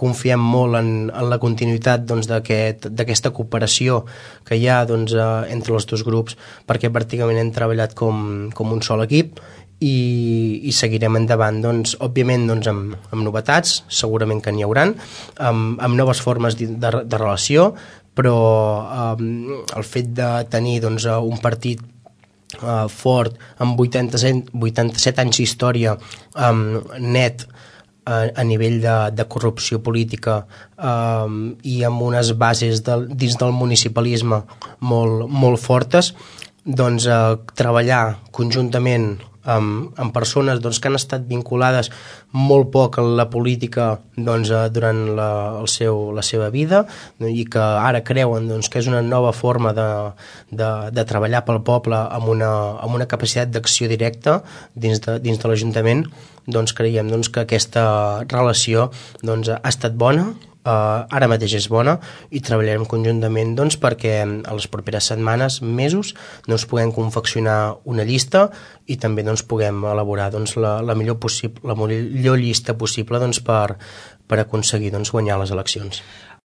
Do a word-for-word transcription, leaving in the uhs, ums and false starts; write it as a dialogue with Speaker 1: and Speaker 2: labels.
Speaker 1: confiem molt en, en la continuïtat doncs, d'aquesta aquest, cooperació que hi ha doncs, eh, entre els dos grups, perquè pràcticament hem treballat com, com un sol equip i, i seguirem endavant, doncs, òbviament doncs, amb, amb novetats, segurament que n'hi hauran, amb, amb noves formes de, de, de relació, però eh, el fet de tenir doncs, un partit eh, fort, amb vuitanta-set, vuitanta-set anys d'història, eh, net, a, a nivell de, de corrupció política eh, i amb unes bases de, dins del municipalisme molt, molt fortes, doncs eh, treballar conjuntament amb, amb persones doncs, que han estat vinculades molt poc a la política doncs, eh, durant la, el seu, la seva vida i que ara creuen doncs, que és una nova forma de, de, de treballar pel poble amb una, amb una capacitat d'acció directa dins de, dins de l'Ajuntament, doncs creiem doncs, que aquesta relació doncs, ha estat bona. Uh, ara mateix és bona i treballarem conjuntament doncs, perquè a les properes setmanes, mesos, doncs, puguem confeccionar una llista i també doncs, puguem elaborar doncs, la, la, millor possible, la millor llista possible doncs, per, per aconseguir doncs, guanyar les eleccions.